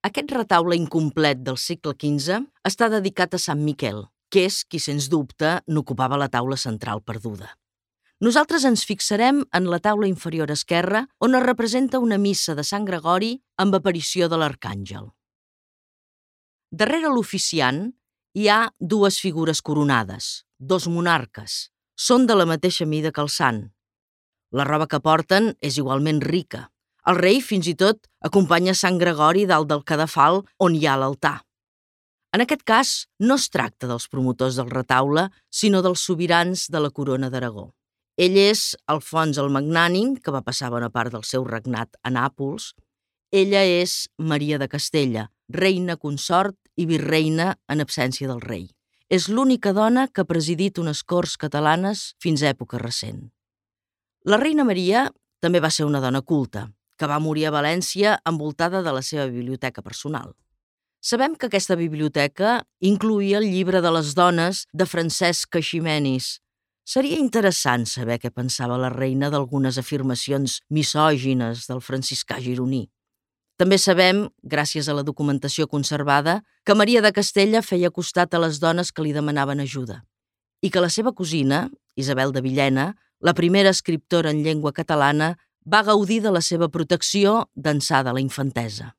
Aquest retaule incomplet del segle XV està dedicat a Sant Miquel, que és qui, sens dubte, n'ocupava la taula central perduda. Nosaltres ens fixarem en la taula inferior esquerra, on es representa una missa de Sant Gregori amb aparició de l'arcàngel. Darrere l'oficiant hi ha dues figures coronades, dos monarques. Són de la mateixa mida que el sant. La roba que porten és igualment rica. El rei fins i tot acompanya Sant Gregori dalt del cadafal on hi ha l'altar. En aquest cas, no es tracta dels promotors del retaule, sinó dels sobirans de la corona d'Aragó. Ell és Alfons el Magnànim, que va passar bona part del seu regnat a Nàpols. Ella és Maria de Castella, reina consort i virreina en absència del rei. És l'única dona que ha presidit unes corts catalanes fins a època recent. La reina Maria també va ser una dona culta, que va morir a València envoltada de la seva biblioteca personal. Sabem que aquesta biblioteca incloïa el llibre de les dones de Francesc Eiximenis. Seria interessant saber què pensava la reina d'algunes afirmacions misògines del franciscà gironí. També sabem, gràcies a la documentació conservada, que Maria de Castella feia costat a les dones que li demanaven ajuda i que la seva cosina, Isabel de Villena, la primera escriptora en llengua catalana, va gaudir de la seva protecció d'ençà de la infantesa.